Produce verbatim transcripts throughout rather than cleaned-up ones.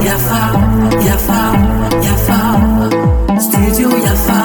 Yafa, Yafa, Yafa, Studio Yafa.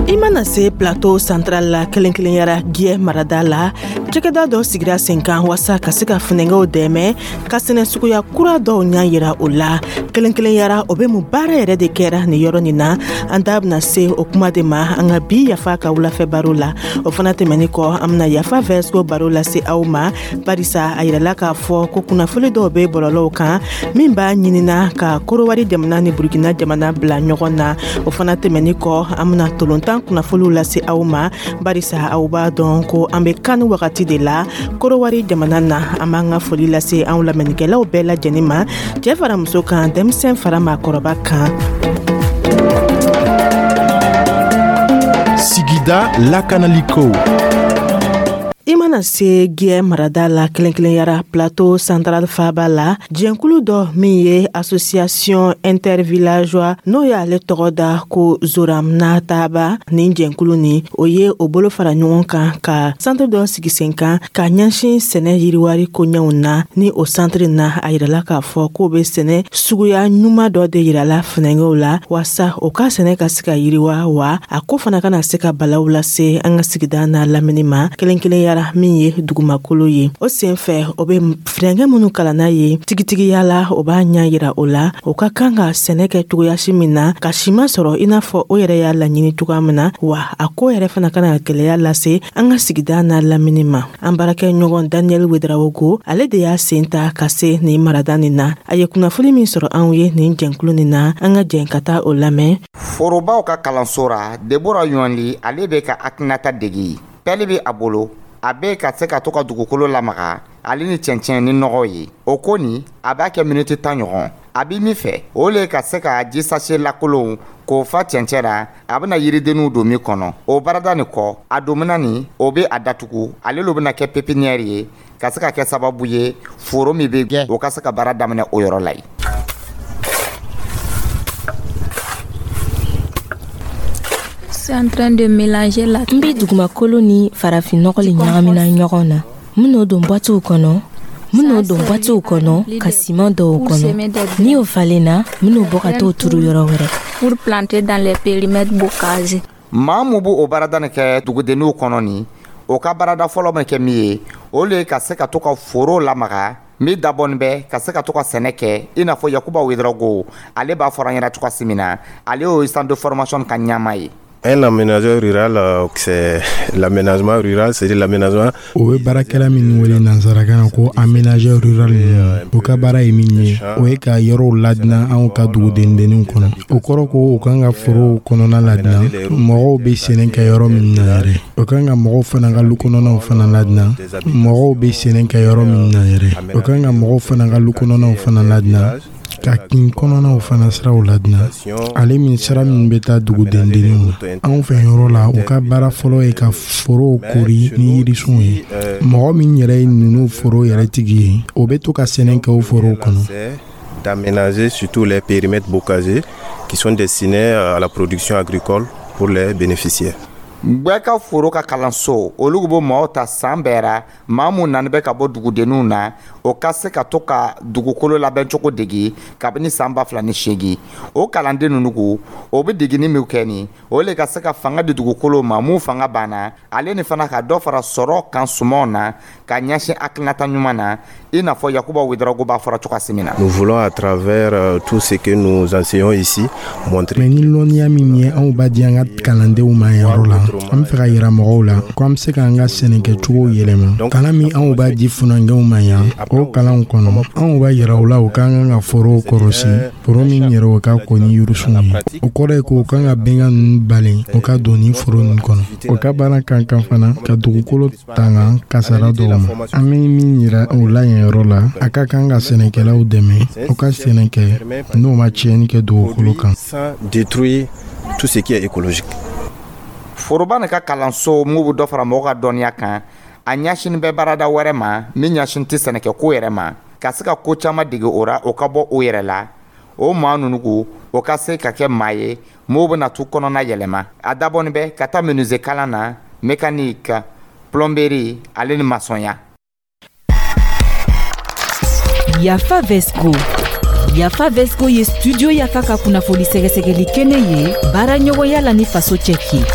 I mana se Plateau Central la, kɛrɛnkɛrɛnyara Giyɛ marada la, cɛkɛda dɔ sigira sen kan waasa ka se ka funɛngɛw dɛmɛ ka sɛnɛ suguya kura dɔw ɲa yira o la. Kɛrɛnkɛrɛnyara, o be mun baara yɛrɛ de kɛra nin yɔrɔ nin na? An da bena se o kuma de ma an ka bi Yafa ka wulafɛ baro la. O fana tɛmɛni kɔ, an bena Yafa vɛsco baro lase aw ma, barisa a yirala k'a fɔ ko kunnafoni dɔw be bɔlɔlɔw kan min b'a ɲinina ka Korowari jamana ni Burukina jamana bila ɲɔgɔn na. O fana tɛmɛni kɔ, an bena tolontan kunnafoniw lase aw ma, barisa aw b'a dɔn ko an be kan wagati de la Korowari jamana na. An b'an ka foli lase anw lamɛnnikɛlaw bɛɛ lajɛlen ma, cɛɛ fara muso kan, denmisɛn fara maakɔrɔba kan. Sigida lakanaliko. I mana se Giyɛ marada la, kɛrɛnkɛrɛnyara Plateau Central faba la, jɛnkulu dɔ min ye association intervillageois, n'o y'ale tɔgɔ da ko Zoram Nataba, nin jɛnkulu nin, o ye o bolo fara ɲɔgɔn kan ka centre dɔ sigi sen kan ka ɲɛsin sɛnɛ yiriwari koɲɛw na. Ni o centre na, a yirala k'a fɔ k'o be sɛnɛ suguya ɲuman dɔ de yirala funɛngɛw la, waasa o ka sɛnɛ ka se ka yiriwa, wa a ko fana kana se ka balaw lase an ka sigida n'a lamini ma, kɛrɛnkɛrɛnyara min ye dugumakolo ye. O sen fɛ, o be funɛngɛ minnu kalanna ye tigitigiya la, o b'a ɲa yira o la o ka kan ka sɛnɛ kɛ cogoyasi min na ka siman sɔrɔ i n'a fɔ o yɛrɛ y'a laɲini cogoya min na, wa a ko yɛrɛ fana kana gwɛlɛya lase an ka sigida n'a lamini ma. An baarakɛ ɲɔgɔn Daniel Wedarawogo, ale de y'a sen ta ka se nin marada nin na. A ye kunnafoni min sɔrɔ anw ye nin jɛnkulu nin na, an ka jɛn ka taa o lamɛn. Forobaw ka kalanso ra, Debora Ɲɔli, ale bɛ ka hakilinata degi. Pɛli bɛ a bolo, a bɛ ka se ka to ka dugukolo lamaga ale ni cɛncɛn ni nɔgɔ ye. O ko nin, a b'a kɛ miniti tan ɲɔgɔn. A bɛ min fɛ, o le ka se ka ji sachet lakolonw k'o fa cɛncɛn ra, a bɛna yiridenninw don min kɔnɔ. O baarada nin kɔ, a domina nin, o bɛ a datugu. Ale lo bɛna kɛ pépinière ye ka se ka kɛ sababu ye, foro min bɛ gɛn, o ka se ka baara daminɛ o yɔrɔ la yen. N bɛ dugumakolo ni farafinnɔgɔ le ɲagamina ɲɔgɔn na. N ben'o don bɔtiw kɔnɔ, n ben'o don bɔtiw kɔnɔ ka siman dɔw kɔnɔ. Ni o falenna, n ben'o bɔ ka t'o turu yɔrɔ wɛrɛ. Pour planter dans les périmètres bocagés. Maa mun b'o baarada nin kɛ dugudenninw kɔnɔ nin, o ka baarada fɔlɔ bɛ kɛ min ye, o le ye ka se ka to ka foro lamaga min dabɔnin bɛ ka se ka to ka sɛnɛ kɛ, i n'a fɔ Yakuba Wedarago, ale b'a fɔra an ɲɛna cogoya min na. Ale y'o centre de formation ka ɲɛmaa ye. Un aménageur rural, c'est l'aménagement rural, c'est l'aménagement. O bɛ baarakɛla minnu wele nansarakan na ko aménageur rural ninnu, o ka baara ye min ye, o ye ka yɔrɔw ladilan anw ka dugudendenninw kɔnɔ. O kɔrɔ ko u kan ka forow kɔnɔna ladilan, mɔgɔw bɛ sɛnɛ kɛ yɔrɔ min na yɛrɛ. O kan ka mɔgɔw fana ka lu kɔnɔnaw fana ladilan, mɔgɔw bɛ sɛnɛ kɛ yɔrɔ min na yɛrɛ. O kan ka mɔgɔw fana ka lu kɔnɔnaw fana ladilan, ka kin kɔnɔnaw fana siraw ladilan, ale min sira min bɛ taa dugudendenninw na. Anw fɛ yɔrɔ la, u ka baara fɔlɔ ye ka forow kori ni yirisunw ye. Mɔgɔ min yɛrɛ ye ninnu foro yɛrɛ tigi ye, o bɛ to ka sɛnɛ kɛ o forow kɔnɔ. D'aménager surtout les périmètres bocagers qui sont destinés à la production agricole pour les bénéficiaires. Gbɛ ka foro ka kalanso, olu bɛ maaw ta san bɛɛ ra, maa mun nani bɛ ka bɔ dugudenninw na, o ka se ka to ka dugukolo labɛncogo degi kabini san ba fila ni seegin. O kalanden ninnu ko, o bɛ degini min kɛ nin, o le ka se ka fanga di dugukolo ma mun fanga banna, ale ni fana ka dɔ fara sɔrɔ kan sumanw na ka ɲɛsin hakilinata ɲuman na, i n'a fɔ Yakuba Wedarago b'a fɔra cogoya min na. Nous voulons, à travers euh, tout ce que nous enseignons ici, montrer Mais ni lɔnniya min ye anw b'a di an ka kalandenw ma yɔrɔ la, an bɛ fɛ ka yira mɔgɔw la ko an bɛ se k'an ka sɛnɛkɛcogo yɛlɛma. Kalan min anw b'a di funankɛw ma yan, o kalanw kɔnɔ, anw b'a yira u la u ka kan ka forow kɔrɔsi, foro min yɛrɛ o ka ko ni yirisunw ye. O kɔrɔ ye ko u kan ka bɛnkan ninnu balen, o ka don ni foro ninnu kɔnɔ. O ka baara kan kan fana ka dugukolo tanga kasara dɔw ma. An bɛ min yira o la yen yɔrɔ la, a ka kan ka sɛnɛkɛlaw dɛmɛ u ka sɛnɛ kɛ n'o ma tiɲɛni kɛ dugukolo kan. Sans détruire tout ce qui est écologique. Foroba nin ka kalanso mun bɛ dɔ fara mɔgɔw ka dɔnniya kan, a ɲɛsin bɛ baarada wɛrɛ ma min ɲɛsin tɛ sɛnɛkɛko yɛrɛ ma, ka se ka ko caman dege o ra, o ka bɔ o yɛrɛ la. O maa ninnu ko, o ka se ka kɛ maa ye m'o bɛna tu kɔnɔna yɛlɛma. A dabɔnin bɛ ka taa menuisier kalan na, mécanique, plomberie, ale ni masɔnya. Yafa Vesco. Yafa Vesco ye Studio Yafa ka kunnafoni sɛgɛsɛgɛli kɛnɛ ye baara ɲɔgɔnya la ni Faso Cɛki.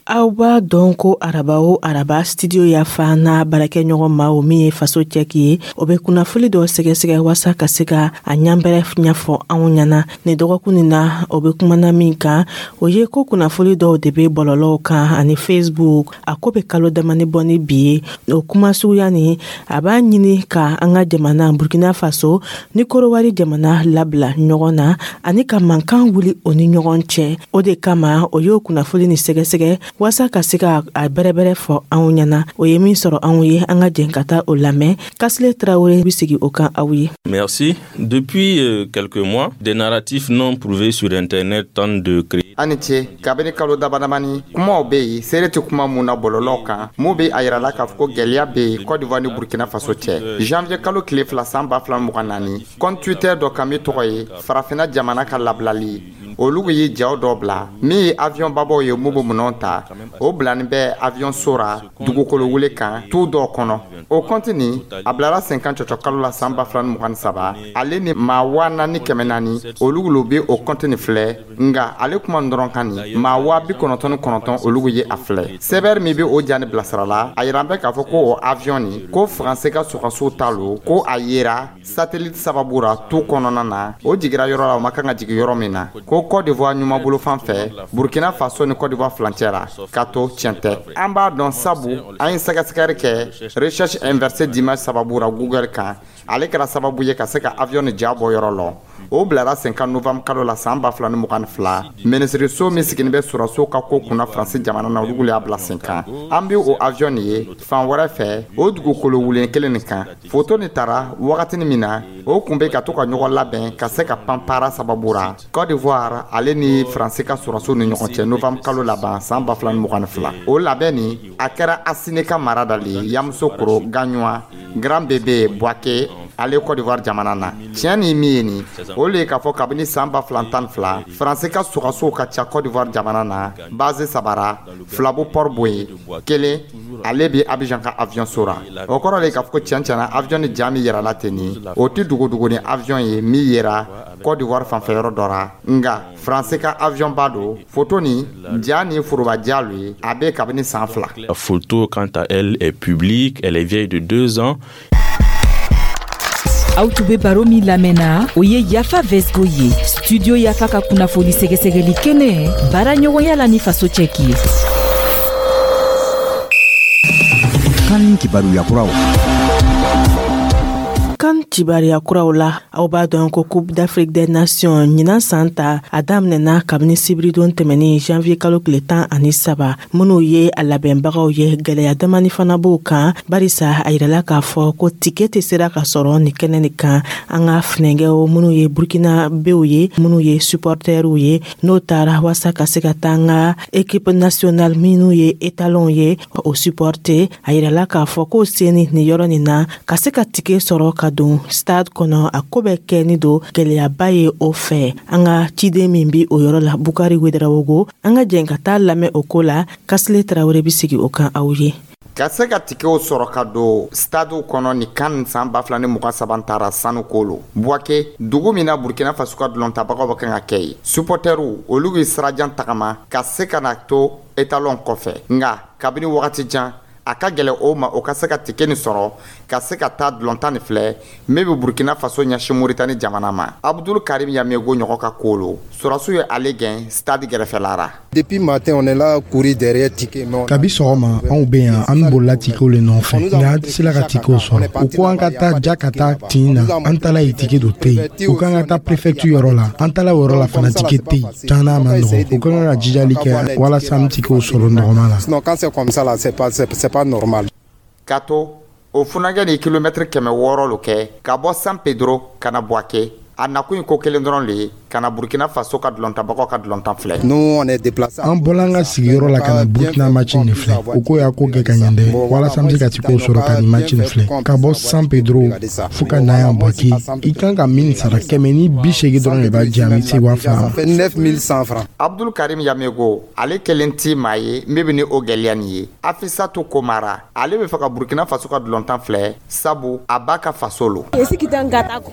Aw b'a dɔn ko araba o araba, Studio Yafa n'a baarakɛɲɔgɔn maaw, min ye Faso Cɛki ye, o bɛ kunnafoli dɔ sɛgɛsɛgɛ waasa ka se ka a ɲanbɛrɛ ɲɛfɔ anw ɲɛna. Nin dɔgɔkun nin na, o bɛ kumana min kan, o ye ko kunnafoli dɔw de bɛ bɔlɔlɔw kan ani Facebook. A ko bɛ kalo damani bɔ ni bi ye. O kuma suguya nin, a b'a ɲini ka an ka jamana Burkina Faso ni Korowari jamana labila ɲɔgɔn na ani ka mankan wuli o ni ɲɔgɔn cɛ. O de kama o y'o kunnafoli ni sɛgɛsɛgɛ waasa ka se ka a bɛrɛbɛrɛ fɔ anw ɲɛna. O ye min sɔrɔ anw ye, an ka jɛn ka taa o lamɛn. Kasile Tarawele bɛ sigi o kan aw ye. Merci. Depuis euh, quelques mois, des narratifs non prouvés sur Internet tentent de créer A ni ce. Kabini kalo damadamani, kumaw be yen, seere tɛ kuma mun na bɔlɔlɔw kan, mun be a yirala k'a fɔ ko gwɛlɛya be yen Côte d'Ivoire ni Burkina Faso cɛ. Janvier kalo tile fila san ba fila mugan naani, compte Twitter dɔ kan min tɔgɔ ye Farafina jamana ka labilali, olu ye jaw dɔ bila min ye avion babaw ye mun be minɛnw ta. O bilani bɛ avion so ra dugukolo wele kan tu dɔw kɔnɔ. O compte nin, a bilara sen kan cɔcɔ kalo la san ba fila ni mugan ni saba. Ale ni maa waa naani kɛmɛ naani, olu lo be o compte nin filɛ. Nga ale kuma dɔrɔn kan nin, maa waa bi kɔnɔntɔn ni kɔnɔntɔn, olu ye a filɛ. Sɛbɛri min be o ja ni bilasira la, a yira bɛ k'a fɔ ko o avion nin, ko Faransi ka sɔgɔsiw ta lo, ko a yera satellite sababu ra tu kɔnɔna na. O jigira yɔrɔ la, o ma kan ka jigi yɔrɔ min na, ko Côte d'Ivoire ɲumanbolo fan fɛ, Burkina Faso ni Côte d'Ivoire furancɛ la. Ka to tiɲɛ tɛ, an b'a dɔn, sabu an ye sɛgɛsɛgɛli kɛ recherche inversée d'image sababu ra Google kan. Ale kɛra sababu ye ka se ka avion ni ja bɔ yɔrɔ lɔ. O bilara sen kan novembre kalo la san ba fila ni mugan ni fila. Minisiriso min siginin bɛ sɔrɔsiw ka ko kunna Faransi jamana na, olu y'a bila sen kan. An be o avion nin ye fan wɛrɛ fɛ, o dugukolo wulen kelen nin kan. Foto nin tara wagatini min na, o kun be ka to ka ɲɔgɔn labɛn ka se ka panpara sababu ra Côte d'Ivoire ale ni Faransi ka sɔrɔsiw ni ɲɔgɔn cɛ, novembre kalo laban san ba fila ni mugan ni fila. O labɛn nin, a kɛra Asine ka mara dali Yamusokoro, Gaɲuwa, Grand Bébé, Bouaké, ale Côte d'Ivoire jamana na. Tiɲɛ ni min ye nin, o le ye k'a fɔ kabini san ba fila tan ni fila, Faransi ka sɔgɔsow ka ca Côte d'Ivoire jamana na, base sabara fila bo Port Boué, kelen ale bi Abidjan ka avion so ra. O kɔrɔ le k'a fɔ ko tiɲɛ tiɲɛna, avion ni ja min yɛrɛla ten nin, o tɛ dogodogo ni avion ye min yera Côte d'Ivoire fanfɛ yɔrɔ dɔ ra, nga Faransi ka avion ba don. Foto ni ja ni foroba ja lo ye, a bɛ kabini san fila. La photo, quant à elle, est publique, elle est vieille de deux ans. Aw tun be baro min lamɛnna, o ye Yafa Vesgo ye, Studio Yafa ka kunnafoni sɛgɛsɛgɛli kɛnɛ baara ɲɔgɔnya la ni Faso Cɛki ye. Kan kibaruya kuraw. Kan kibaruya kuraw la, aw b'a dɔn ko Coupe d'Afrique des Nations ɲinan san ta, a daminɛna kabini sibiridon tɛmɛni, janvier kalo tile tan ani saba. Minw ye a labɛnbagaw ye, gwɛlɛya damani fana b'o kan, barisa a yirala k'a fɔ ko tike tɛ sera ka sɔrɔ nin kɛnɛ nin kan. An ka finɛgɛw minw ye Burkina bew ye, minw ye supporteriw ye, n'o taara waasa ka se ka taa an ka équipe nationale minw ye étalonw ye, o supporter, a yirala k'a fɔ k'o seni nin yɔrɔ nin na, ka se ka tike sɔrɔ ka don stade kɔnɔ, a ko bɛ kɛ ni don gwɛlɛyaba ye. O fɛ, an ka ciden min bi o yɔrɔ la, Bukari Wedarawogo, an ka jɛn ka taa lamɛn o ko la. Kasile Tarawele bi sigi o kan aw ye. Ka se ka tikew sɔrɔ ka don stadiw kɔnɔ ni kan san ba fila ni mugan saba taara sanuko lo, Buwake, dugu min na Burkina Faso ka dulɔntabagaw bɛ kan ka kɛ ye, supporteriw olu bɛ sirajan tagama ka se ka na to étalon kɔfɛ. Nga kabini wagati jan, a ka gɛlɛ o ma o ka se ka tike nin sɔrɔ ka se ka taa dulɔntan nin filɛ min bɛ Burkina Faso ɲɛsin Moritani jamana ma. Abdul Karim Yamego ɲɔgɔn ka ko lo, sɔrɔsiw ye ale gɛn stade gɛrɛfɛla. Depuis matin, on est là courir derrière ticket. Mais on Kabi sɔgɔma, anw bɛ yan, an bolila tikew le nɔfɛ, nka an tɛ sela ka tikew sɔrɔ. U ko an ka taa ja ka taa tin na, an taala yen, tike dɔ tɛ yen. U k'an ka taa préfecture yɔrɔ la, an taala o yɔrɔ la fana, tike tɛ yen. Caman ma nɔgɔ, u ka kan ka jijali kɛ walasa an bɛ tikew sɔrɔ nɔgɔma la. Sinon, quand c'est comme ça, là, c'est pas, c'est, c'est pas normal. Ka to o funankɛ ni kilomɛtiri kɛmɛ wɔɔrɔ lo kɛ ka bɔ San Pedro ka na Buwake, a nakun ye ko kelen dɔrɔn le ye. Ka na Burkina Faso ka dulɔntabagaw ka dulɔntan filɛ. Nous, on est déplacé. An bɔla an ka sigiyɔrɔ la ka na Burkina match nin filɛ. O ko y'a ko kɛ ka ɲɛ dɛ, walasa an bɛ se ka tikew sɔrɔ ka nin match nin filɛ. Ka bɔ San Pedro fo ka na yan Bouaké, i kan ka min sara, kɛmɛ ni bi seegin dɔrɔn de b'a di yan, bɛ se waa fila ma. Ça fait neuf mille cent francs. Abdul Karim Yamego, ale kelen ti maa ye min bɛ ni o gɛlɛya nin ye. Afisatu Komara, ale bɛ fɛ ka Burkina Faso ka dulɔntan filɛ, sabu a b'a ka faso lo.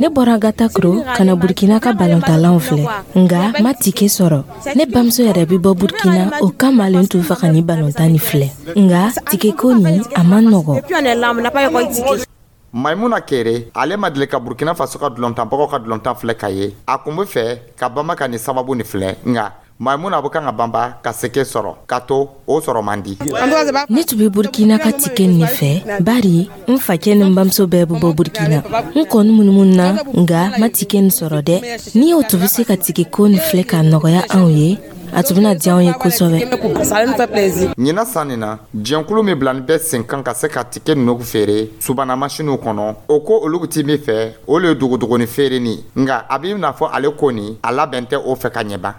Ne bɔra Gatakoro ka na Burkina ka balontanlanw filɛ, nga ma tike sɔrɔ. Ne bamuso yɛrɛ bi bɔ Burkina, o kama ale tun fɛ ka ni balontan ni filɛ, nga tike ko nin a man nɔgɔ. Maimuna Kere, ale ma deli ka Burkina Faso ka dulɔntanbagaw ka dulɔntan filɛ ka ye. A kun bɛ fɛ ka banba ka nin sababu nin filɛ, nka Maimuna bɛ kan ka banba ka seke sɔrɔ ka to o sɔrɔ man di. Ne tun bɛ Burkina ka tike nin fɛ, bari n facɛ ni n bamuso bɛɛ bɛ bɔ Burkina. N kɔni munumunu na, nga ma tike nin sɔrɔ dɛ. Ni o tun bɛ se ka tike ko nin filɛ ka nɔgɔya anw ye, a tun bɛna diya anw ye kosɛbɛ. Ɲinan san nin na, jɛnkulu min bilani bɛ sen kan ka se ka tike ninnu feere subana masiniw kɔnɔ, o ko olu ti min fɛ, o le ye dogodogoni feere ni, nka a b'i n'a fɔ ale ko nin a labɛn tɛ o fɛ ka ɲɛ ban.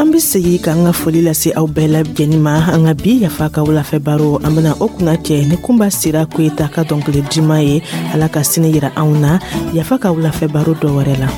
An be segi k'an ka foli lase aw bɛɛ lajɛnin ma. An ka bi Yafa ka wulafɛ baro, an bena o kunna cɛ ni Kunba Sira Koyita ka dɔnkili diman ye. Ala ka sini yira anw na Yafa ka wulafɛ baro dɔ wɛrɛ la.